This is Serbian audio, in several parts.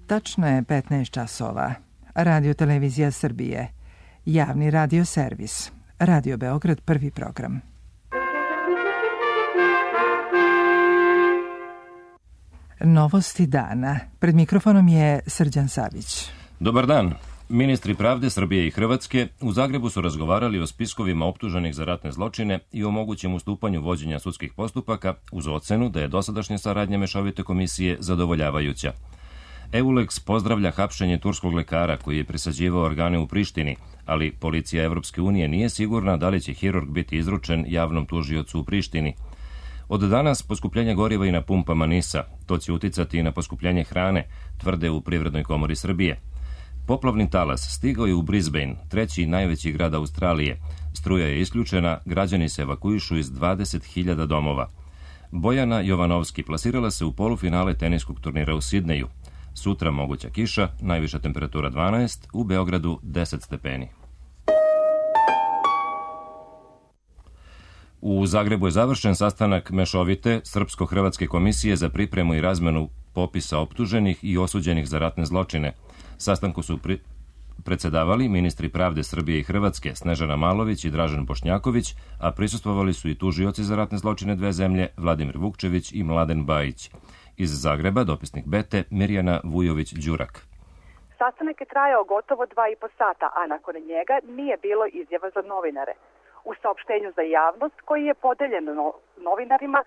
Tačno je 15 časova. Radio Televizija Srbije. Javni radio servis. Radio Beograd, prvi program. Novosti dana. Pred mikrofonom je Srđan Savić. Dobar dan. Ministri pravde Srbije i Hrvatske u Zagrebu su razgovarali o spiskovima optuženih za ratne zločine i o mogućem ustupanju vođenja sudskih postupaka uz ocenu da je dosadašnja saradnja mešovite komisije zadovoljavajuća. EULEX pozdravlja hapšenje turskog lekara koji je presađivao organe u Prištini, ali policija Evropske unije nije sigurna da li će hirurg biti izručen javnom tužiocu u Prištini. Od danas poskupljenje goriva i na pumpama NIS-a, to će uticati i na poskupljenje hrane, tvrde u Privrednoj komori Srbije. Poplavni talas stigao je u Brisbane, treći najveći grad Australije. Struja je isključena, građani se evakuišu iz 20.000 domova. Bojana Jovanovski plasirala se u polufinale teniskog turnira u Sidneju. Sutra moguća kiša, najviša temperatura 12, u Beogradu 10 stepeni. U Zagrebu je završen sastanak mešovite Srpsko-Hrvatske komisije za pripremu i razmenu popisa optuženih i osuđenih za ratne zločine. Sastanku su predsedavali ministri pravde Srbije i Hrvatske Snežana Malović i Dražen Bošnjaković, a prisustvovali su i tužioci za ratne zločine dve zemlje Vladimir Vukčević i Mladen Bajić. Iz Zagreba dopisnik Bete Mirjana Vujović-Đurak. Sastanak je trajao gotovo 2,5 sata, a nakon njega nije bilo izjava za novinare. U saopštenju za javnost koji je podeljen novinarima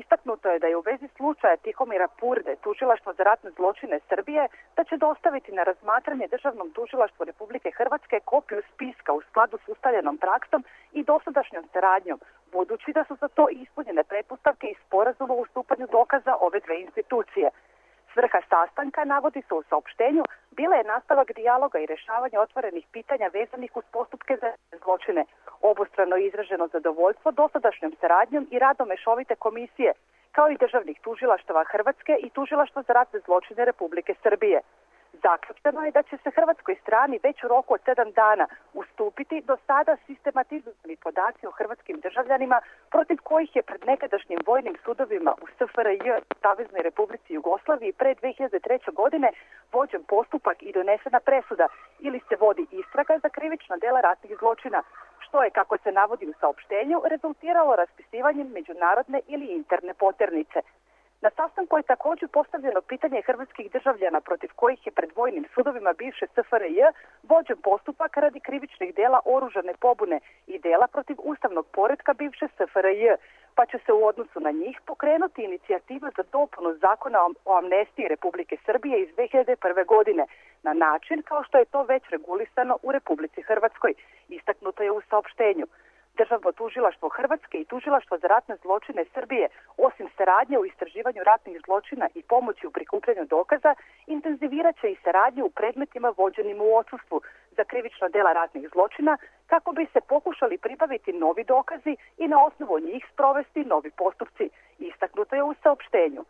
istaknuto je da je u vezi slučaja Tihomira Purde tužilaštvo za ratne zločine Srbije da će dostaviti na razmatranje Državnom tužilaštvu Republike Hrvatske kopiju spiska u skladu s ustaljenom praksom i dosadašnjom saradnjom, budući da su za to ispunjene pretpostavke i sporazuma o ustupanju dokaza ove dve institucije. Svrha sastanka, navodi se u saopštenju, bila je nastavak dijaloga i rešavanja otvorenih pitanja vezanih uz postupke za zločine. Obostrano izraženo zadovoljstvo dosadašnjom saradnjom i radom mešovite komisije, kao i državnih tužilaštava Hrvatske i tužilaštva za ratne zločine Republike Srbije. Zaključeno je da će se hrvatskoj strani već u roku od 7 dana ustupiti do sada sistematizovani podaci o hrvatskim državljanima protiv kojih je pred nekadašnjim vojnim sudovima u SFRJ, Saveznoj Republici Jugoslaviji, pre 2003. godine vođen postupak i donesena presuda ili se vodi istraga za krivična dela ratnih zločina, što je, kako se navodi u saopštenju, rezultiralo raspisivanjem međunarodne ili interne poternice. Na sastanku je također postavljeno pitanje hrvatskih državljana protiv kojih je pred vojnim sudovima bivše SFRJ vođen postupak radi krivičnih dela oružane pobune i dela protiv ustavnog poretka bivše SFRJ, pa će se u odnosu na njih pokrenuti inicijativa za dopunu zakona o amnestiji Republike Srbije iz 2001. godine, na način kao što je to već regulisano u Republici Hrvatskoj, istaknuto je u saopštenju. Državno tužilaštvo Hrvatske i tužilaštvo za ratne zločine Srbije, osim saradnje u istraživanju ratnih zločina i pomoći u prikupljanju dokaza, intenzivirat će i saradnju u predmetima vođenim u odsustvu za krivična dela ratnih zločina, kako bi se pokušali pribaviti novi dokazi i na osnovu njih sprovesti novi postupci, istaknuto je u saopštenju.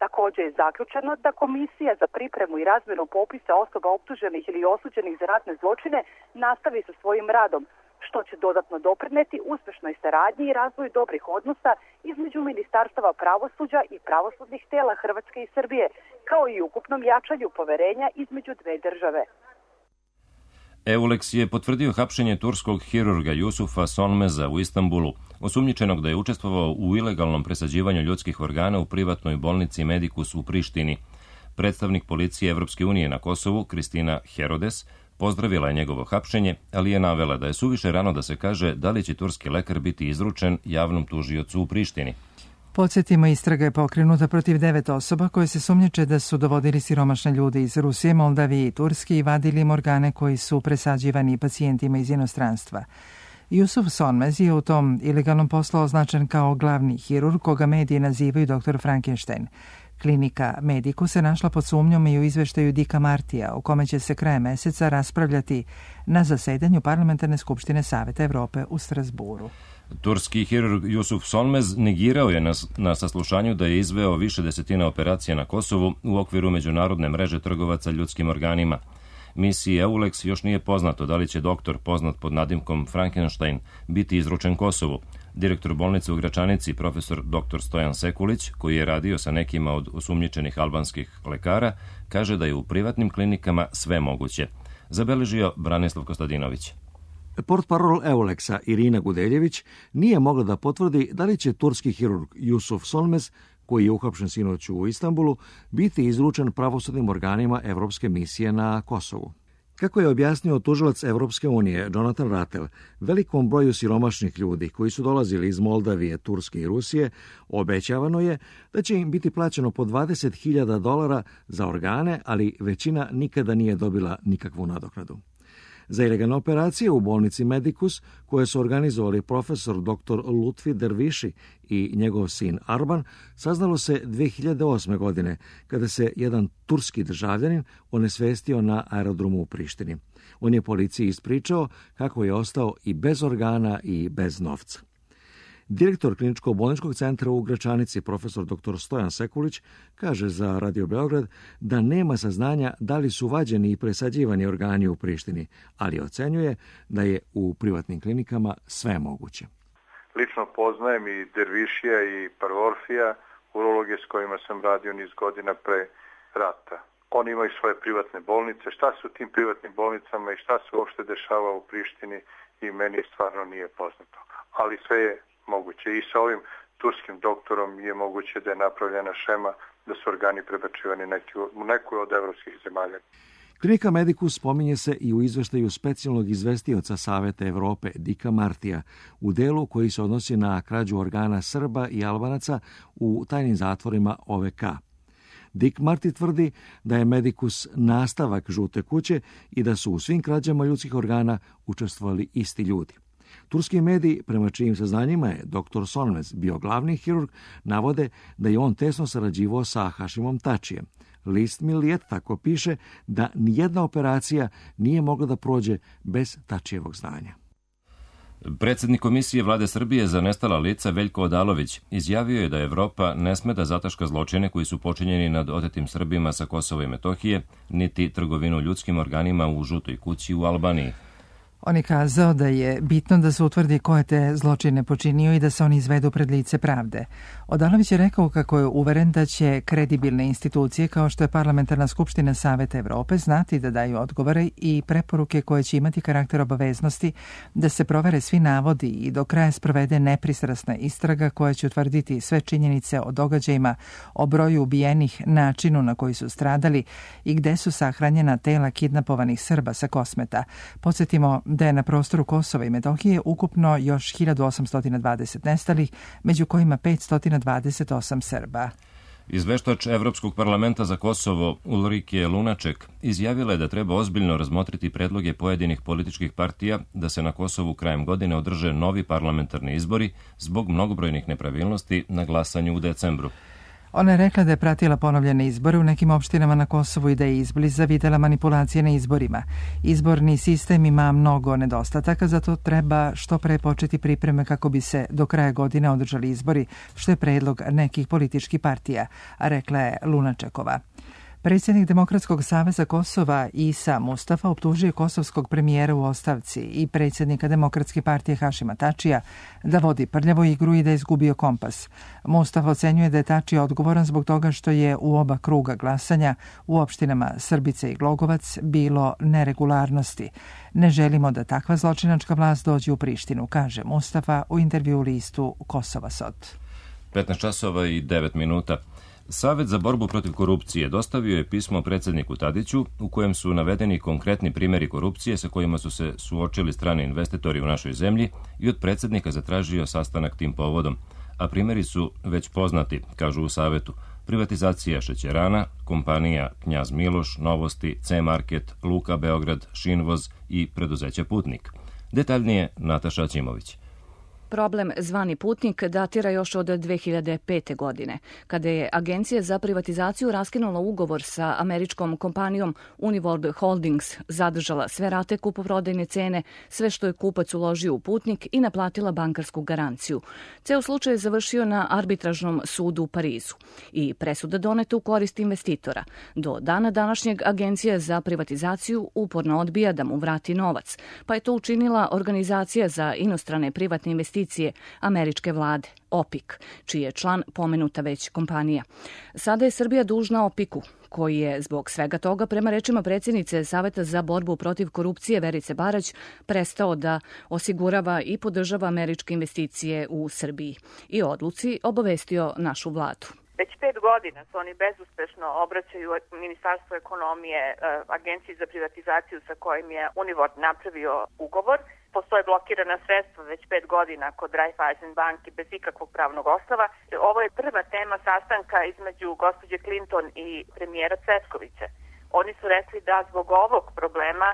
Također je zaključeno da Komisija za pripremu i razmjenu popisa osoba optuženih ili osuđenih za ratne zločine nastavi sa svojim radom, što će dodatno doprineti uspešnoj saradnji i razvoju dobrih odnosa između ministarstava pravosuđa i pravosudnih tela Hrvatske i Srbije, kao i ukupnom jačanju poverenja između dve države. EULEX je potvrdio hapšenje turskog hirurga Jusufa Sonmeza u Istanbulu, osumnjičenog da je učestvovao u ilegalnom presađivanju ljudskih organa u privatnoj bolnici Medikus u Prištini. Predstavnik policije Evropske unije na Kosovu, Kristina Herodes, pozdravila je njegovo hapšenje, ali je navela da je suviše rano da se kaže da li će turski lekar biti izručen javnom tužiocu u Prištini. Podsjetimo, istraga je pokrenuta protiv 9 osoba koje se sumnjiče da su dovodili siromašne ljude iz Rusije, Moldavije i Turske i vadili im organe koji su presađivani pacijentima iz inostranstva. Jusuf Sonmez je u tom ilegalnom poslu označen kao glavni hirurg, koga mediji nazivaju dr. Frankenstein. Klinika Mediku se našla pod sumnjom i u izveštaju Dika Martija, u kome će se krajem meseca raspravljati na zasedanju Parlamentarne skupštine Saveta Evrope u Strasburu. Turski hirurg Jusuf Sonmez negirao je na saslušanju da je izveo više desetina operacija na Kosovu u okviru međunarodne mreže trgovaca ljudskim organima. Misiji EULEX još nije poznato da li će doktor poznat pod nadimkom Frankenstein biti izručen Kosovu. Direktor bolnice u Gračanici, profesor dr. Stojan Sekulić, koji je radio sa nekima od osumnjičenih albanskih lekara, kaže da je u privatnim klinikama sve moguće. Zabeležio Branislav Kostadinović. Portparol Euleksa Irina Gudeljević nije mogla da potvrdi da li će turski hirurg Jusuf Solmez, koji je uhapšen sinoć u Istanbulu, biti izručen pravosudnim organima Evropske misije na Kosovu. Kako je objasnio tužilac Evropske unije Jonathan Rattel, velikom broju siromašnih ljudi koji su dolazili iz Moldavije, Turske i Rusije, obećavano je da će im biti plaćeno po $20.000 za organe, ali većina nikada nije dobila nikakvu nadoknadu. Za ilegalne operacije u bolnici Medicus, koje su organizovali profesor dr. Lutfi Derviši i njegov sin Arban, saznalo se 2008. godine, kada se jedan turski državljanin onesvestio na aerodromu u Prištini. On je policiji ispričao kako je ostao i bez organa i bez novca. Direktor kliničko-bolničkog centra u Gračanici, profesor dr. Stojan Sekulić, kaže za Radio Beograd da nema saznanja da li su vađeni i presađivani organi u Prištini, ali ocenjuje da je u privatnim klinikama sve moguće. Lično poznajem i Dervišija i Parvorfija, urologe s kojima sam radio niz godina pre rata. Oni imaju svoje privatne bolnice. Šta se u tim privatnim bolnicama i šta se uopšte dešava u Prištini i meni stvarno nije poznato. Ali sve je moguće. I sa ovim turskim doktorom je moguće da je napravljena šema da su organi prebačivani u neku od evropskih zemalja. Klinika Medicus spominje se i u izveštaju specijalnog izvestioca Saveta Evrope Dika Martija u delu koji se odnosi na krađu organa Srba i Albanaca u tajnim zatvorima OVK. Dick Marty tvrdi da je Medicus nastavak žute kuće i da su u svim krađama ljudskih organa učestvovali isti ljudi. Turski mediji, prema čijim saznanjima je dr. Solmez bio glavni hirurg, navode da je on tesno sarađivao sa Hašimom Tačijem. List Milliet tako piše da nijedna operacija nije mogla da prođe bez Tačijevog znanja. Predsjednik Komisije Vlade Srbije za nestala lica Veljko Odalović izjavio je da Evropa ne sme da zataška zločine koji su počinjeni nad otetim Srbima sa Kosova i Metohije, niti trgovinu ljudskim organima u žutoj kući u Albaniji. On je kazao da je bitno da se utvrdi ko je te zločine počinio i da se oni izvedu pred lice pravde. Odalović je rekao kako je uveren da će kredibilne institucije kao što je Parlamentarna skupština Saveta Evrope znati da daju odgovore i preporuke koje će imati karakter obaveznosti da se provere svi navodi i do kraja sprovede nepristrasna istraga koja će utvrditi sve činjenice o događajima, o broju ubijenih, načinu na koji su stradali i gde su sahranjena tela kidnapovanih Srba sa Kosmeta. Podsjetimo da je na prostoru Kosova i Metohije ukupno još 1820 nestalih, među kojima 528 Srba. Izveštač Evropskog parlamenta za Kosovo Ulrike Lunaček izjavila je da treba ozbiljno razmotriti predloge pojedinih političkih partija da se na Kosovu krajem godine održe novi parlamentarni izbori zbog mnogobrojnih nepravilnosti na glasanju u decembru. Ona je rekla da je pratila ponovljene izbore u nekim opštinama na Kosovu i da je izbliza videla manipulacije na izborima. Izborni sistem ima mnogo nedostataka, zato treba što pre početi pripreme kako bi se do kraja godine održali izbori, što je predlog nekih političkih partija, a rekla je Lunačekova. Predsjednik Demokratskog saveza Kosova Isa Mustafa optužio kosovskog premijera u ostavci i predsjednika Demokratske partije Hašima Tačija da vodi prljavu igru i da je izgubio kompas. Mustafa ocenjuje da je Tačija odgovoran zbog toga što je u oba kruga glasanja u opštinama Srbice i Glogovac bilo neregularnosti. Ne želimo da takva zločinačka vlast dođe u Prištinu, kaže Mustafa u intervju listu Kosova Sot. 15:09. Savet za borbu protiv korupcije dostavio je pismo predsjedniku Tadiću u kojem su navedeni konkretni primjeri korupcije sa kojima su se suočili strani investitori u našoj zemlji i od predsjednika zatražio sastanak tim povodom. A primjeri su već poznati, kažu u Savetu. Privatizacija šećerana, kompanija Knjaz Miloš, Novosti, C-Market, Luka Beograd, Šinvoz i preduzeće Putnik. Detaljnije Nataša Ćimović. Problem zvani Putnik datira još od 2005. godine, kada je Agencija za privatizaciju raskinula ugovor sa američkom kompanijom Uniworld Holdings, zadržala sve rate kupoprodajne cene, sve što je kupac uložio u Putnik i naplatila bankarsku garanciju. Ceo slučaj je završio na arbitražnom sudu u Parizu i presuda doneta u korist investitora. Do dana današnjeg Agencija za privatizaciju uporno odbija da mu vrati novac, pa je to učinila Organizacija za inostrane privatne investicije investicije američke vlade, OPIC, čiji je član pomenuta već kompanija. Sada je Srbija dužna OPIC-u, koji je zbog svega toga, prema rečima predsjednice Saveta za borbu protiv korupcije Verice Barać, prestao da osigurava i podržava američke investicije u Srbiji i odluci obavestio našu vladu. Već 5 godina se oni bezuspešno obraćaju Ministarstvu ekonomije, Agenciji za privatizaciju sa kojim je Univord napravio ugovor. Postoje blokirana sredstva već 5 godina kod Raiffeisen banke bez ikakvog pravnog osnova. Ovo je prva tema sastanka između gospođe Clinton i premijera Cvetkovića. Oni su rekli da zbog ovog problema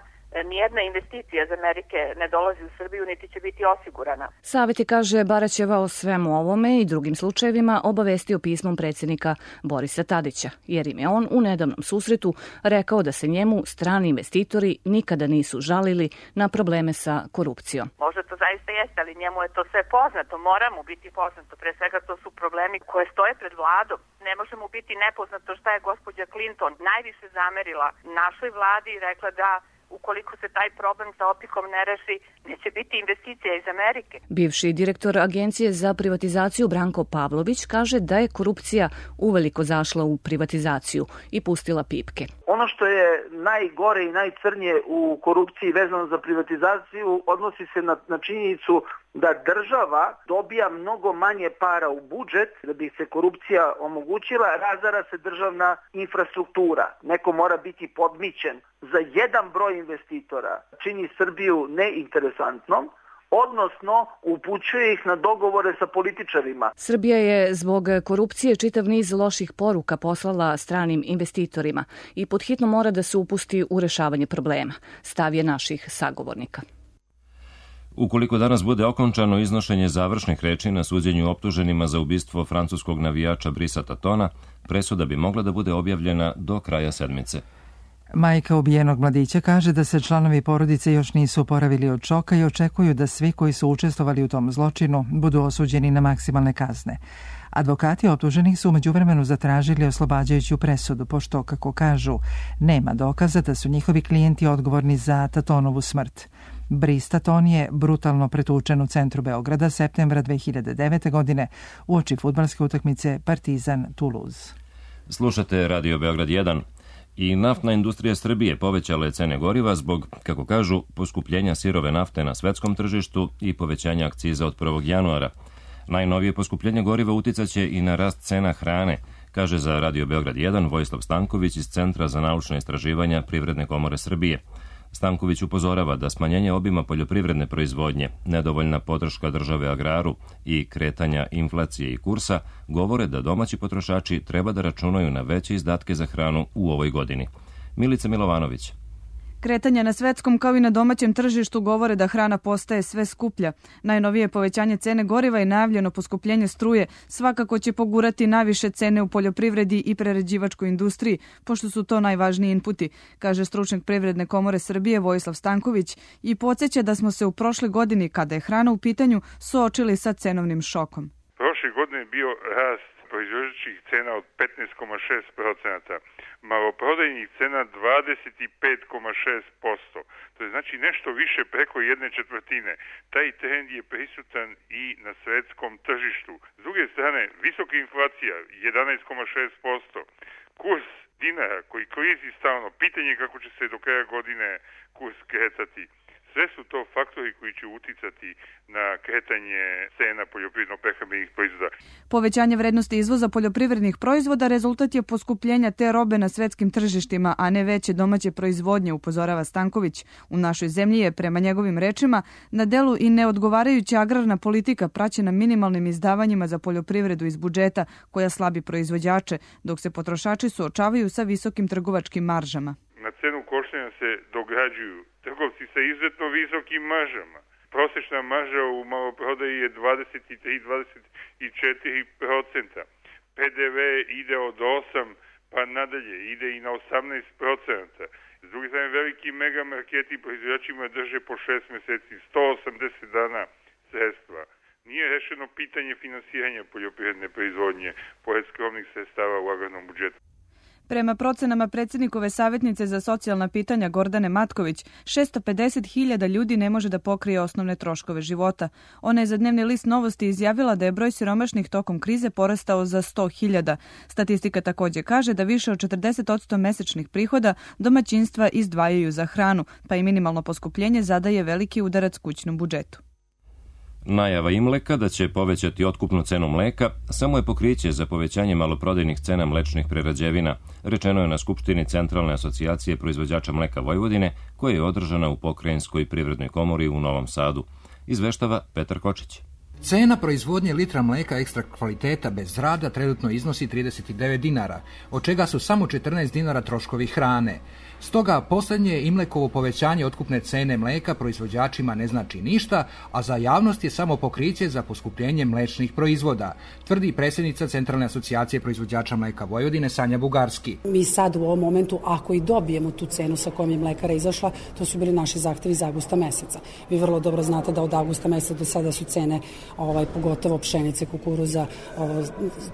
nijedna investicija iz Amerike ne dolazi u Srbiju, niti će biti osigurana. Savet je, kaže Baraćeva, o svemu ovome i drugim slučajevima obavestio pismom predsjednika Borisa Tadića, jer im je on u nedavnom susretu rekao da se njemu strani investitori nikada nisu žalili na probleme sa korupcijom. Možda to zaista jeste, ali njemu je to sve poznato, mora mu biti poznato. Pre svega to su problemi koje stoje pred vladom. Ne može mu biti nepoznato šta je gospođa Clinton najviše zamerila našoj vladi i rekla da ukoliko se taj problem sa OPIC-om ne reši, neće biti investicija iz Amerike. Bivši direktor Agencije za privatizaciju Branko Pavlović kaže da je korupcija uveliko zašla u privatizaciju i pustila pipke. Ono što je najgore i najcrnije u korupciji vezano za privatizaciju odnosi se na činjenicu da država dobija mnogo manje para u budžet da bi se korupcija omogućila, razara se državna infrastruktura. Neko mora biti podmićen. Za jedan broj investitora čini Srbiju neinteresantnom, odnosno upućuje ih na dogovore sa političarima. Srbija je zbog korupcije čitav niz loših poruka poslala stranim investitorima i podhitno mora da se upusti u rešavanje problema, stav je naših sagovornika. Ukoliko danas bude okončano iznošenje završnih reči na suđenju optuženima za ubistvo francuskog navijača Brisa Tatona, presuda bi mogla da bude objavljena do kraja sedmice. Majka ubijenog mladića kaže da se članovi porodice još nisu oporavili od šoka i očekuju da svi koji su učestvovali u tom zločinu budu osuđeni na maksimalne kazne. Advokati optuženih su u međuvremenu zatražili oslobađajuću presudu, pošto, kako kažu, nema dokaza da su njihovi klijenti odgovorni za Tatonovu smrt. Brice Taton je brutalno pretučen u centru Beograda septembra 2009. godine uoči fudbalske utakmice Partizan-Toulouse. Slušate Radio Beograd 1. I naftna industrija Srbije povećala je cene goriva zbog, kako kažu, poskupljenja sirove nafte na svetskom tržištu i povećanja akciza od 1. januara. Najnovije poskupljenje goriva uticaće i na rast cena hrane, kaže za Radio Beograd 1 Vojislav Stanković iz Centra za naučna istraživanja Privredne komore Srbije. Stanković upozorava da smanjenje obima poljoprivredne proizvodnje, nedovoljna podrška države agraru i kretanja inflacije i kursa govore da domaći potrošači treba da računaju na veće izdatke za hranu u ovoj godini. Milica Milovanović. Kretanja na svetskom kao i na domaćem tržištu govore da hrana postaje sve skuplja. Najnovije povećanje cene goriva i najavljeno poskupljenje struje svakako će pogurati najviše cene u poljoprivredi i prerađivačkoj industriji, pošto su to najvažniji inputi, kaže stručnjak Privredne komore Srbije Vojislav Stanković i podsjeća da smo se u prošle godini, kada je hrana u pitanju, suočili sa cenovnim šokom. Prošle godine je bio rast proizvođačkih cena od 15,6%, maloprodajnih cena 25,6%. To je znači nešto više preko 1/4. Taj trend je prisutan i na svetskom tržištu. S druge strane, visoka inflacija 11,6%, kurs dinara koji klizi stalno, pitanje kako će se do kraja godine kurs kretati. Sve su to faktori koji će uticati na kretanje cena poljoprivredno-prehrambenih proizvoda. Povećanje vrednosti izvoza poljoprivrednih proizvoda rezultat je poskupljenja te robe na svetskim tržištima, a ne veće domaće proizvodnje, upozorava Stanković. U našoj zemlji je, prema njegovim rečima, na delu i neodgovarajuća agrarna politika praćena minimalnim izdavanjima za poljoprivredu iz budžeta koja slabi proizvođače, dok se potrošači suočavaju sa visokim trgovačkim maržama. Na cenu koštanja se dograđuju trgovci sa izuzetno visokim maržama. Prosečna marža u maloprodaji je 23-24%. PDV ide od 8 pa nadalje, ide i na 18%. S druge strane, veliki megamarketi proizvođačima drže po 6 meseci, 180 dana sredstva. Nije rešeno pitanje finansiranja poljoprivredne proizvodnje pored skromnih sredstava u agrarnom budžetu. Prema procenama predsjednikove savjetnice za socijalna pitanja Gordane Matković, 650.000 ljudi ne može da pokrije osnovne troškove života. Ona je za Dnevni list Novosti izjavila da je broj siromašnih tokom krize porastao za 100.000. Statistika također kaže da više od 40% mesečnih prihoda domaćinstva izdvajaju za hranu, pa i minimalno poskupljenje zadaje veliki udarac kućnom budžetu. Najava Imleka da će povećati otkupnu cenu mleka samo je pokriće za povećanje maloprodajnih cena mlečnih prerađevina, rečeno je na Skupštini Centralne asocijacije proizvođača mleka Vojvodine, koja je održana u Pokrajinskoj privrednoj komori u Novom Sadu. Izveštava Petar Kočić. Cena proizvodnje litra mleka ekstra kvaliteta bez rada trenutno iznosi 39 dinara, od čega su samo 14 dinara troškovi hrane. Stoga posljednje Imlekovo povećanje otkupne cene mleka proizvođačima ne znači ništa, a za javnost je samo pokriće za poskupljenje mlečnih proizvoda, tvrdi predsjednica Centralne asocijacije proizvođača mleka Vojvodine Sanja Bugarski. Mi sad u ovom momentu, ako i dobijemo tu cenu sa kojom je mlekara izašla, to su bili naši zahtevi iz avgusta meseca. Vi vrlo dobro znate da od avgusta meseca do sada su cene pogotovo pšenice, kukuruza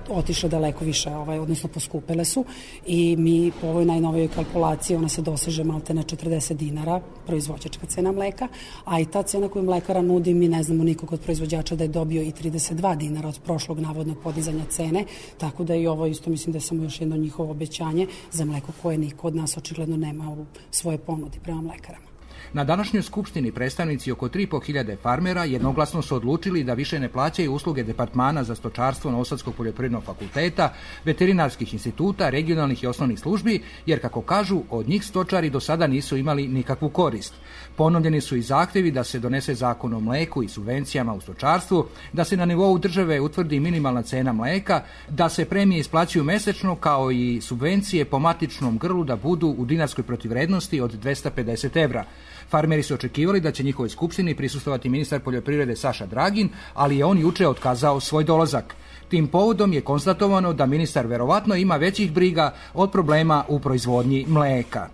otišle daleko više, odnosno poskupele su i mi po ovoj najnovijoj kalkulaciji ona se doseže malte na 40 dinara proizvođačka cena mleka, a i ta cena koju mlekara nudi, mi ne znamo nikog od proizvođača da je dobio i 32 dinara od prošlog navodnog podizanja cene, tako da i ovo isto mislim da je samo još jedno njihovo obećanje za mleko koje niko od nas očigledno nema u svoje ponudi prema mlekarama. Na današnjoj skupštini predstavnici oko 3.500 farmera jednoglasno su odlučili da više ne plaćaju usluge Departmana za stočarstvo Novosadskog poljoprivrednog fakulteta, veterinarskih instituta, regionalnih i osnovnih službi, jer kako kažu, od njih stočari do sada nisu imali nikakvu korist. Ponovljeni su i zahtjevi da se donese zakon o mleku i subvencijama u stočarstvu, da se na nivou države utvrdi minimalna cena mleka, da se premije isplaćuju mesečno, kao i subvencije po matičnom grlu da budu u dinarskoj protivvrednosti od 250 evra. Farmeri su očekivali da će njihovoj skupštini prisustvovati ministar poljoprivrede Saša Dragin, ali je on juče otkazao svoj dolazak. Tim povodom je konstatovano da ministar verovatno ima većih briga od problema u proizvodnji mleka.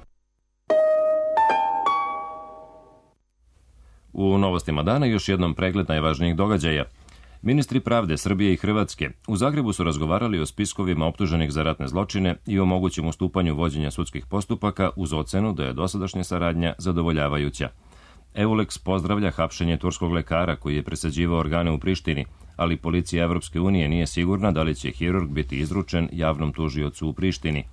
U novostima dana još jednom pregled najvažnijih događaja. Ministri pravde Srbije i Hrvatske u Zagrebu su razgovarali o spiskovima optuženih za ratne zločine i o mogućem ustupanju vođenja sudskih postupaka uz ocenu da je dosadašnja saradnja zadovoljavajuća. EULEX pozdravlja hapšenje turskog lekara koji je presađivao organe u Prištini, ali policija Evropske unije nije sigurna da li će hirurg biti izručen javnom tužiocu u Prištini.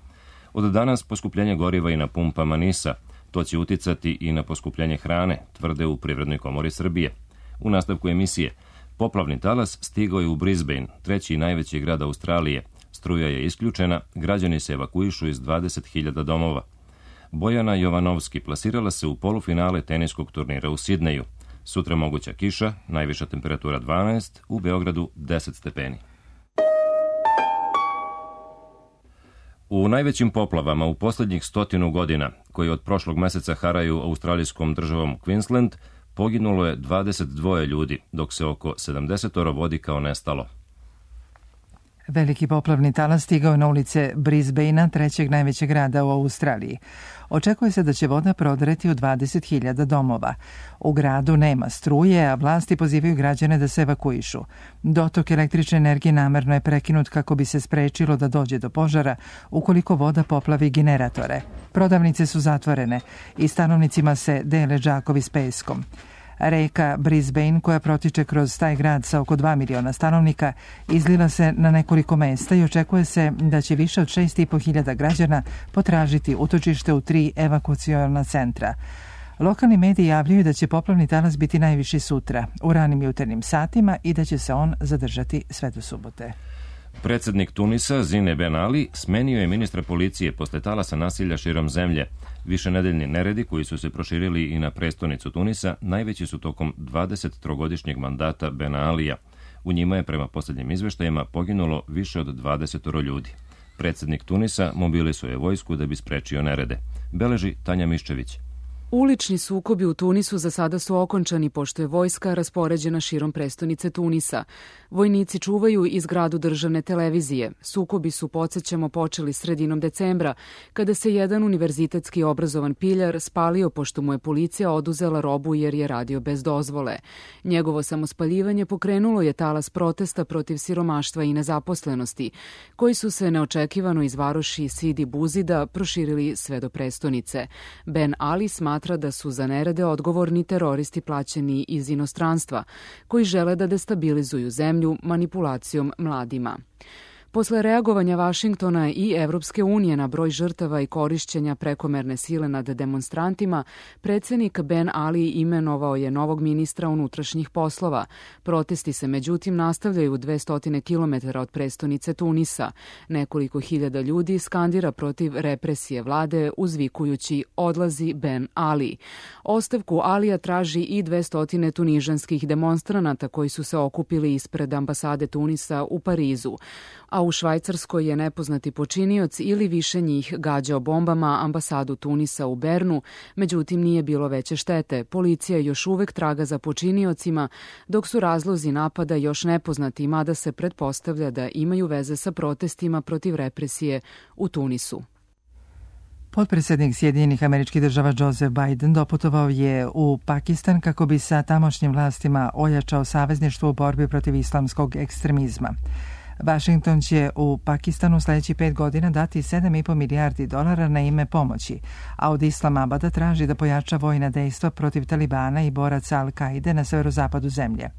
Od danas poskupljenje goriva i na pumpama NIS-a. To će uticati i na poskupljenje hrane, tvrde u Privrednoj komori Srbije. U nastavku emisije, poplavni talas stigao je u Brisbane, treći najveći grad Australije. Struja je isključena, građani se evakuišu iz 20.000 domova. Bojana Jovanovski plasirala se u polufinale teniskog turnira u Sidneju. Sutra moguća kiša, najviša temperatura 12, u Beogradu 10 stepeni. U najvećim poplavama u posljednjih 100 godina, koji od prošlog meseca haraju australijskom državom Queensland, poginulo je 22 ljudi, dok se oko 70 vodi kao nestalo. Veliki poplavni talas stigao je na ulice Brisbanea, trećeg najvećeg grada u Australiji. Očekuje se da će voda prodreti u 20.000 domova. U gradu nema struje, a vlasti pozivaju građane da se evakuišu. Dotok električne energije namerno je prekinut kako bi se sprečilo da dođe do požara ukoliko voda poplavi generatore. Prodavnice su zatvorene i stanovnicima se dele džakovi s peskom. Reka Brisbane, koja protiče kroz taj grad sa oko 2 miliona stanovnika, izlila se na nekoliko mesta i očekuje se da će više od 6.500 građana potražiti utočište u 3 evakuaciona centra. Lokalni mediji javljaju da će poplavni talas biti najviši sutra, u ranim jutarnjim satima, i da će se on zadržati sve do subote. Predsjednik Tunisa, Zine Ben Ali, smenio je ministra policije posle talasa nasilja širom zemlje. Višenedeljni neredi koji su se proširili i na prestonicu Tunisa najveći su tokom 23-godišnjeg mandata Ben Alija. U njima je prema posljednjim izveštajima poginulo više od 20 ljudi. Predsjednik Tunisa mobilisuje vojsku da bi sprečio nerede. Beleži Tanja Miščević. Ulični sukobi u Tunisu za sada su okončani pošto je vojska raspoređena širom prestonice Tunisa. Vojnici čuvaju i zgradu državne televizije. Sukobi su, podsjećamo, počeli sredinom decembra, kada se jedan univerzitetski obrazovan piljar spalio pošto mu je policija oduzela robu jer je radio bez dozvole. Njegovo samospaljivanje pokrenulo je talas protesta protiv siromaštva i nezaposlenosti, koji su se neočekivano iz varoši Sidi Buzida proširili sve do prestonice. Ben Ali smatra da su za nerede odgovorni teroristi plaćeni iz inostranstva, koji žele da destabilizuju zemlju manipulacijom mladima. Posle reagovanja Vašingtona i Evropske unije na broj žrtava i korišćenja prekomerne sile nad demonstrantima, predsjednik Ben Ali imenovao je novog ministra unutrašnjih poslova. Protesti se međutim nastavljaju 200 km od prestonice Tunisa. Nekoliko hiljada ljudi skandira protiv represije vlade uzvikujući "Odlazi Ben Ali". Ostavku Alija traži i 200 tunižanskih demonstranata koji su se okupili ispred ambasade Tunisa u Parizu. A u Švajcarskoj je nepoznati počinioc ili više njih gađao bombama ambasadu Tunisa u Bernu, međutim nije bilo veće štete. Policija još uvek traga za počiniocima, dok su razlozi napada još nepoznati, mada se pretpostavlja da imaju veze sa protestima protiv represije u Tunisu. Potpredsjednik Sjedinjenih Američkih Država Joseph Biden doputovao je u Pakistan kako bi sa tamošnjim vlastima ojačao savezništvo u borbi protiv islamskog ekstremizma. Washington će u Pakistanu sljedećih 5 godina dati $7,5 milijardi na ime pomoći, a od Islamabada traži da pojača vojna dejstva protiv Talibana i boraca Al-Kaide na severozapadu zemlje.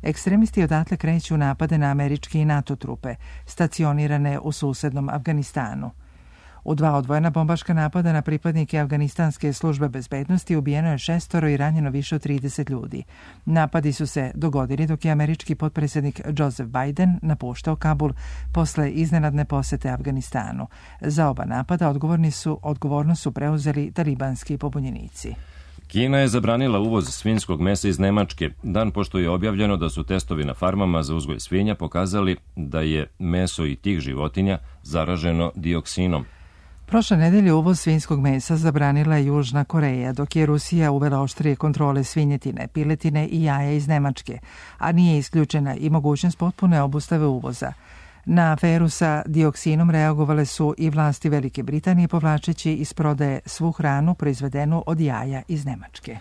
Ekstremisti odatle kreću napade na američke i NATO trupe, stacionirane u susednom Afganistanu. U 2 odvojena bombaška napada na pripadnike afganistanske službe bezbednosti ubijeno je 6 i ranjeno više od 30 ljudi. Napadi su se dogodili dok je američki potpredsjednik Joseph Biden napuštao Kabul posle iznenadne posete Afganistanu. Za oba napada odgovornost su preuzeli talibanski pobunjenici. Kina je zabranila uvoz svinjskog mesa iz Nemačke, dan pošto je objavljeno da su testovi na farmama za uzgoj svinja pokazali da je meso i tih životinja zaraženo dioksinom. Prošle nedelje uvoz svinjskog mesa zabranila je Južna Koreja, dok je Rusija uvela oštrije kontrole svinjetine, piletine i jaja iz Nemačke, a nije isključena i mogućnost potpune obustave uvoza. Na aferu sa dioksinom reagovale su i vlasti Velike Britanije, povlačeći iz prodaje svu hranu proizvedenu od jaja iz Nemačke.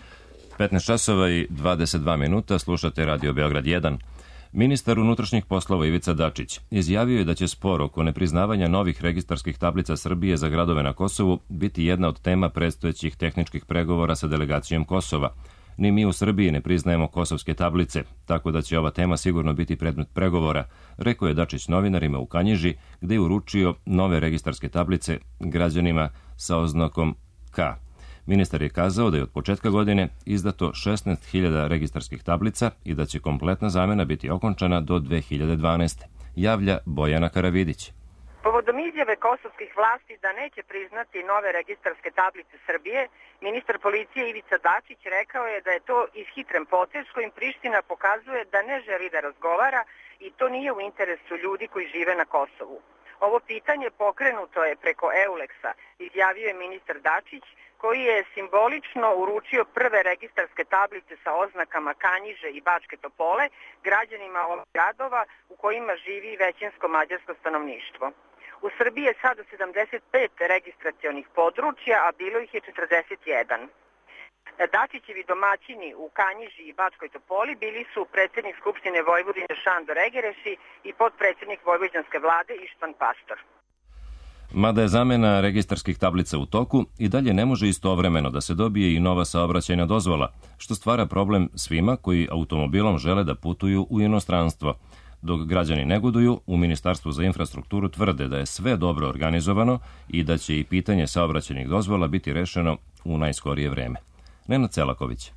15 časova i 22 minuta, slušate Radio Beograd 1. Ministar unutrašnjih poslova Ivica Dačić izjavio je da će spor oko nepriznavanja novih registarskih tablica Srbije za gradove na Kosovu biti jedna od tema predstojećih tehničkih pregovora sa delegacijom Kosova. Ni mi u Srbiji ne priznajemo kosovske tablice, tako da će ova tema sigurno biti predmet pregovora, rekao je Dačić novinarima u Kanjiži, gde je uručio nove registarske tablice građanima sa oznakom K. Ministar je kazao da je od početka godine izdato 16.000 registarskih tablica i da će kompletna zamena biti okončana do 2012. Javlja Bojana Karavidić. Povodom izjave kosovskih vlasti da neće priznati nove registarske tablice Srbije, ministar policije Ivica Dačić rekao je da je to ishitren potez kojim Priština pokazuje da ne želi da razgovara i to nije u interesu ljudi koji žive na Kosovu. Ovo pitanje pokrenuto je preko Euleksa, izjavio je ministar Dačić, koji je simbolično uručio prve registarske tablice sa oznakama Kanjiže i Bačke Topole građanima ovih gradova u kojima živi većinsko mađarsko stanovništvo. U Srbiji je sada 75 registracionih područja, a bilo ih je 41. Dačićevi domaćini u Kanjiži i Bačkoj Topoli bili su predsjednik Skupštine Vojvodine Šandor Egereši i potpredsjednik vojvođanske vlade Ištvan Pastor. Mada je zamena registarskih tablica u toku, i dalje ne može istovremeno da se dobije i nova saobraćajna dozvola, što stvara problem svima koji automobilom žele da putuju u inostranstvo. Dok građani negoduju, u Ministarstvu za infrastrukturu tvrde da je sve dobro organizovano i da će i pitanje saobraćajnih dozvola biti rešeno u najskorije vreme. Nenad Celaković.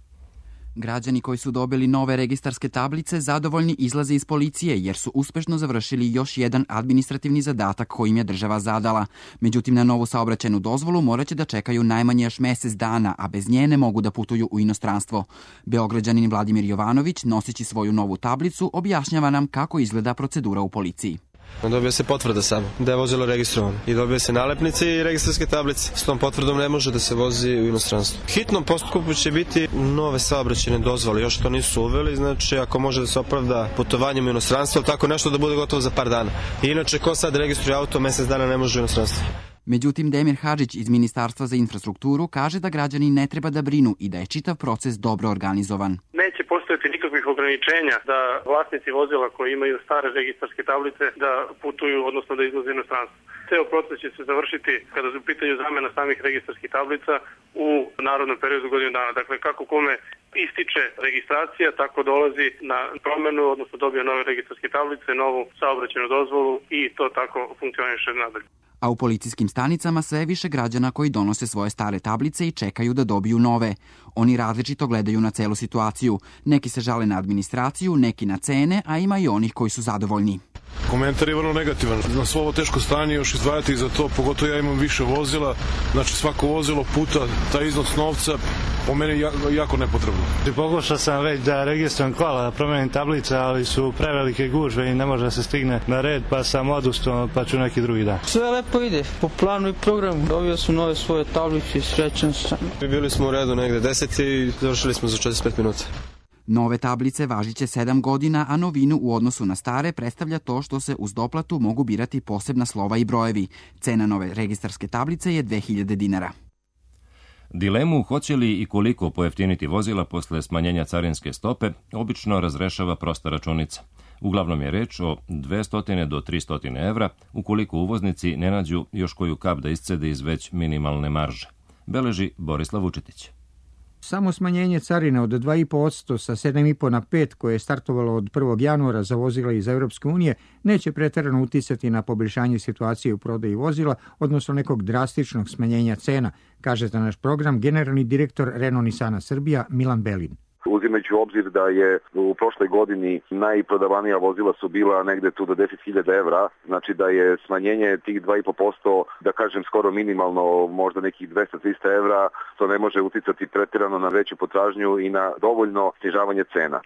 Građani koji su dobili nove registarske tablice zadovoljni izlaze iz policije jer su uspešno završili još jedan administrativni zadatak kojim je država zadala. Međutim, na novu saobraćajnu dozvolu moraće da čekaju najmanje još mesec dana, a bez nje ne mogu da putuju u inostranstvo. Beograđanin Vladimir Jovanović, noseći svoju novu tablicu, objašnjava nam kako izgleda procedura u policiji. Dobije se potvrda samo da je vozilo registrovano i dobije se nalepnice i registarske tablice. S tom potvrdom ne može da se vozi u inostranstvu. Hitnom postupku će biti nove saobraćajne dozvole, još to nisu uveli, znači ako može da se opravda putovanjem u inostranstvo, tako nešto da bude gotovo za par dana. I inače, ko sad registruje auto, mesec dana ne može u inostranstvo. Međutim, Demir Hadžić iz Ministarstva za infrastrukturu kaže da građani ne treba da brinu i da je čitav proces dobro organizovan. Neće postojati nikakvih ograničenja da vlasnici vozila koji imaju stare registarske tablice da putuju, odnosno da izlaze inostranstvo. Ceo proces će se završiti kada su u pitanju zamena samih registarskih tablica u narodnom periodu godinu dana. Dakle, kako kome ističe registracija, tako dolazi na promenu, odnosno dobije nove registarske tablice, novu saobraćajnu dozvolu i to tako funkcioniše nadalje. A u policijskim stanicama sve više građana koji donose svoje stare tablice i čekaju da dobiju nove. Oni različito gledaju na celu situaciju. Neki se žale na administraciju, neki na cene, a ima i onih koji su zadovoljni. Komentar je vrlo negativan. Na svo ovo teško stanje još izdvajati za to, pogotovo ja imam više vozila, znači svako vozilo puta taj iznos novca po meni jako nepotrebno. Pokušao sam već da registrujem kola, da promenim tablice, ali su prevelike gužve i ne može da se stigne na red, pa sam odustao, pa ću neki drugi dan. Sve lepo ide, po planu i programu. Dobio sam nove svoje tablice i srećan sam. Bili smo u redu negde 10 i završili smo za 45 minuta. Nove tablice važiće 7 godina, a novinu u odnosu na stare predstavlja to što se uz doplatu mogu birati posebna slova i brojevi. Cena nove registarske tablice je 2000 dinara. Dilemu hoće li i koliko pojeftiniti vozila posle smanjenja carinske stope obično razrešava prosta računica. Uglavnom je reč o 200 do 300 evra ukoliko uvoznici ne nađu još koju kap da iscede iz već minimalne marže. Beleži Borislav Vučetić. Samo smanjenje carine od 2,5% sa 7,5 na 5 koje je startovalo od 1. januara za vozila iz Europske unije neće preterano uticati na poboljšanje situacije u prodaji vozila, odnosno nekog drastičnog smanjenja cena, kaže za naš program generalni direktor Renault Nissana Srbija Milan Belin. Uzimajući u obzir da je u prošloj godini najprodavanija vozila su bila negde tu do 10.000 evra, znači da je smanjenje tih 2,5%, da kažem skoro minimalno, možda nekih 200-300 evra, to ne može uticati pretirano na veću potražnju i na dovoljno snižavanje cena.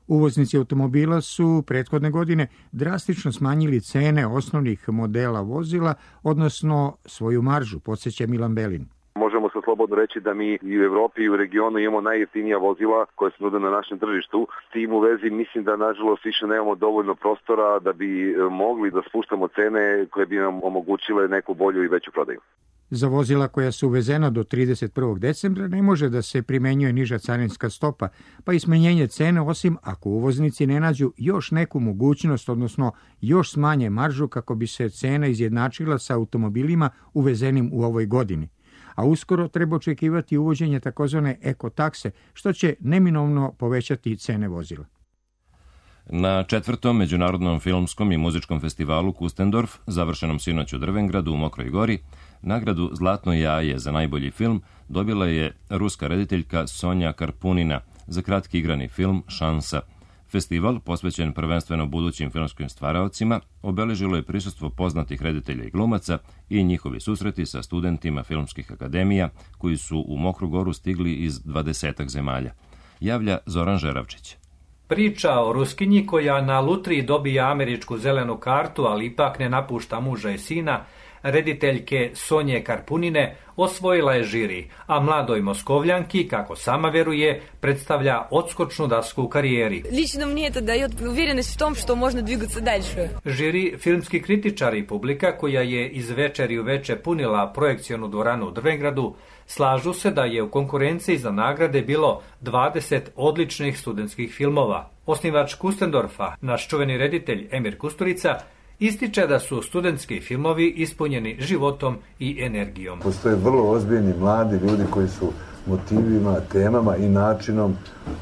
Uvoznici automobila su prethodne godine drastično smanjili cene osnovnih modela vozila, odnosno svoju maržu, podsjeća Milan Belin. Možemo se slobodno reći da mi i u Evropi i u regionu imamo najjeftinija vozila koje se nude na našem tržištu. S tim u vezi mislim da nažalost više nemamo dovoljno prostora da bi mogli da spuštamo cene koje bi nam omogućile neku bolju i veću prodaju. Za vozila koja su uvezena do 31. decembra ne može da se primenjuje niža carinska stopa, pa i smanjenje cene osim ako uvoznici ne nađu još neku mogućnost, odnosno još smanje maržu kako bi se cena izjednačila sa automobilima uvezenim u ovoj godini. A uskoro treba očekivati uvođenje takozvane ekotakse, što će neminovno povećati cene vozila. Na 4. Međunarodnom filmskom i muzičkom festivalu Kustendorf, završenom sinoć u Drvengradu u Mokroj Gori, nagradu Zlatno jaje za najbolji film dobila je ruska rediteljka Sonja Karpunina za kratki igrani film Šansa. Festival, posvećen prvenstveno budućim filmskim stvaraocima, obeležilo je prisustvo poznatih reditelja i glumaca i njihovi susreti sa studentima filmskih akademija koji su u Mokru Goru stigli iz 20 zemalja. Javlja Zoran Žeravčić. Priča o Ruskinji koja na lutriji dobija američku zelenu kartu, ali ipak ne napušta muža i sina, rediteljke Sonje Karpunine osvojila je žiri, a mladoj Moskovljanki, kako sama veruje, predstavlja odskočnu dasku u karijeri. Lično мне это дает уверенность в том, что можно двигаться дальше. Žiri, filmski kritičari i publika koja je iz večeri u veče punila projekcionu dvoranu u Drvengradu, slažu se da je u konkurenciji za nagrade bilo 20 odličnih studentskih filmova. Osnivač Kustendorfa, naš čuveni reditelj Emir Kusturica, ističe da su studentski filmovi ispunjeni životom i energijom. Postoje vrlo ozbiljni mladi ljudi koji su motivima, temama i načinom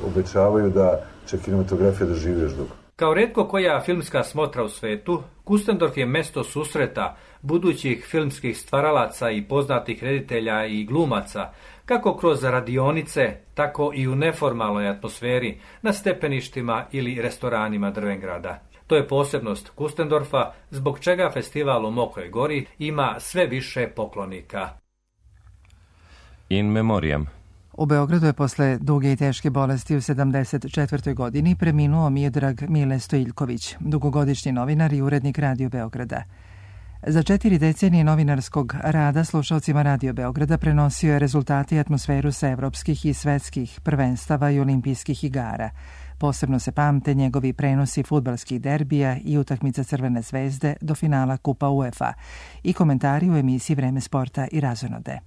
obećavaju da će kinematografija da živi još dugo. Kao retko koja filmska smotra u svetu, Kustendorf je mesto susreta budućih filmskih stvaralaca i poznatih reditelja i glumaca, kako kroz radionice, tako i u neformalnoj atmosferi, na stepeništima ili restoranima Drvengrada. To je posebnost Kustendorfa, zbog čega festival u Mokroj Gori ima sve više poklonika. In memoriam. U Beogradu je posle duge i teške bolesti u 74. godini preminuo Miodrag Mile Stojiljković, dugogodišnji novinar i urednik Radio Beograda. Za 4 decenije novinarskog rada slušalcima Radio Beograda prenosio je rezultate i atmosferu sa evropskih i svetskih prvenstava i olimpijskih igara. Posebno se pamte njegovi prenosi fudbalskih derbija i utakmica Crvene zvezde do finala Kupa UEFA i komentari u emisiji Vreme sporta i razonode.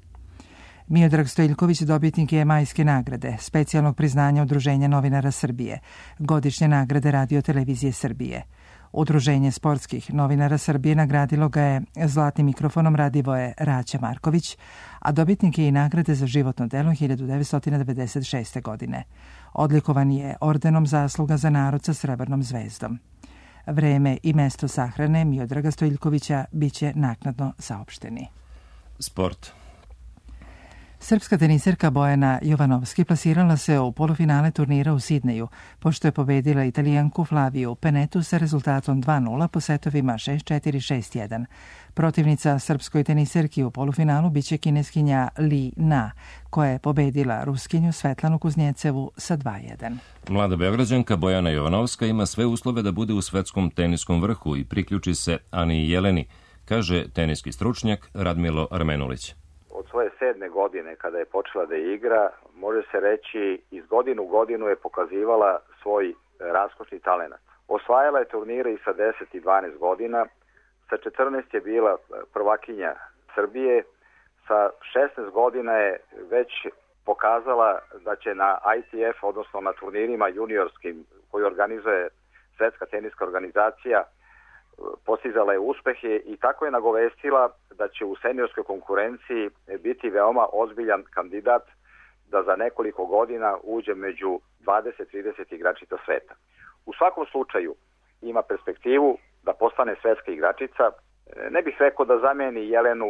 Miodrag Stojiljković dobitnik je Majske nagrade, specijalnog priznanja Udruženja novinara Srbije, godišnje nagrade Radio televizije Srbije. Udruženje sportskih novinara Srbije nagradilo ga je zlatnim mikrofonom Radivoje Raća Marković, a dobitnik je i nagrade za životno delo 1996. godine. Odlikovan je ordenom zasluga za narod sa srebrnom zvezdom. Vreme i mesto sahrane Miodraga Stojiljkovića biće naknadno saopšteni. Sport. Srpska teniserka Bojana Jovanovski plasirala se u polufinale turnira u Sidneju, pošto je pobedila Italijanku Flaviju Penetu sa rezultatom 2:0 po setovima 6-4, 6-1. Protivnica srpskoj teniserki u polufinalu biće kineskinja Li Na, koja je pobedila Ruskinju Svetlanu Kuznjecevu sa 2:1. Mlada Beograđanka Bojana Jovanovska ima sve uslove da bude u svetskom teniskom vrhu i priključi se Ani Jeleni, kaže teniski stručnjak Radmilo Armenulić. Od svoje 7. godine kada je počela da igra, može se reći iz godinu u godinu je pokazivala svoj raskošni talenat. Osvajala je turnire i sa 10 i 12 godina, sa 14 je bila prvakinja Srbije, sa 16 godina je već pokazala da će na ITF, odnosno na turnirima juniorskim koji organizuje Svetska teniska organizacija, postizala je uspehe i tako je nagovestila da će u seniorskoj konkurenciji biti veoma ozbiljan kandidat da za nekoliko godina uđe među 20-30 igračica sveta. U svakom slučaju ima perspektivu da postane svetska igračica. Ne bih rekao da zameni Jelenu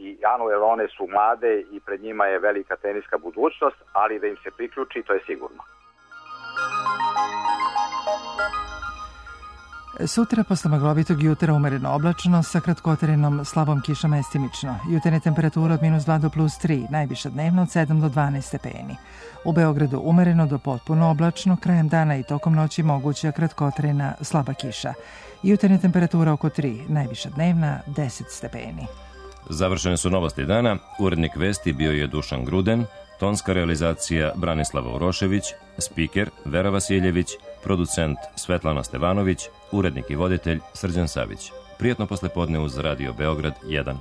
i Anu, jer one su mlade i pred njima je velika teniska budućnost, ali da im se priključi, to je sigurno. Sutra posle maglovitog jutra umereno oblačno sa kratkotrajenom slabom kišom mestimično. Jutarnje temperatura od -2 do +3, najviša dnevno od 7 do 12 stepeni. U Beogradu umereno do potpuno oblačno, krajem dana i tokom noći moguća kratkotrajna slaba kiša. Jutarnje temperatura oko 3, najviša dnevna 10 stepeni. Završene su novosti dana. Urednik vesti bio je Dušan Gruden, tonska realizacija Branislava Urošević, spiker Vera Vasiljević, producent Svetlana Stevanović, urednik i voditelj Srđan Savić. Prijatno poslepodne uz Radio Beograd 1.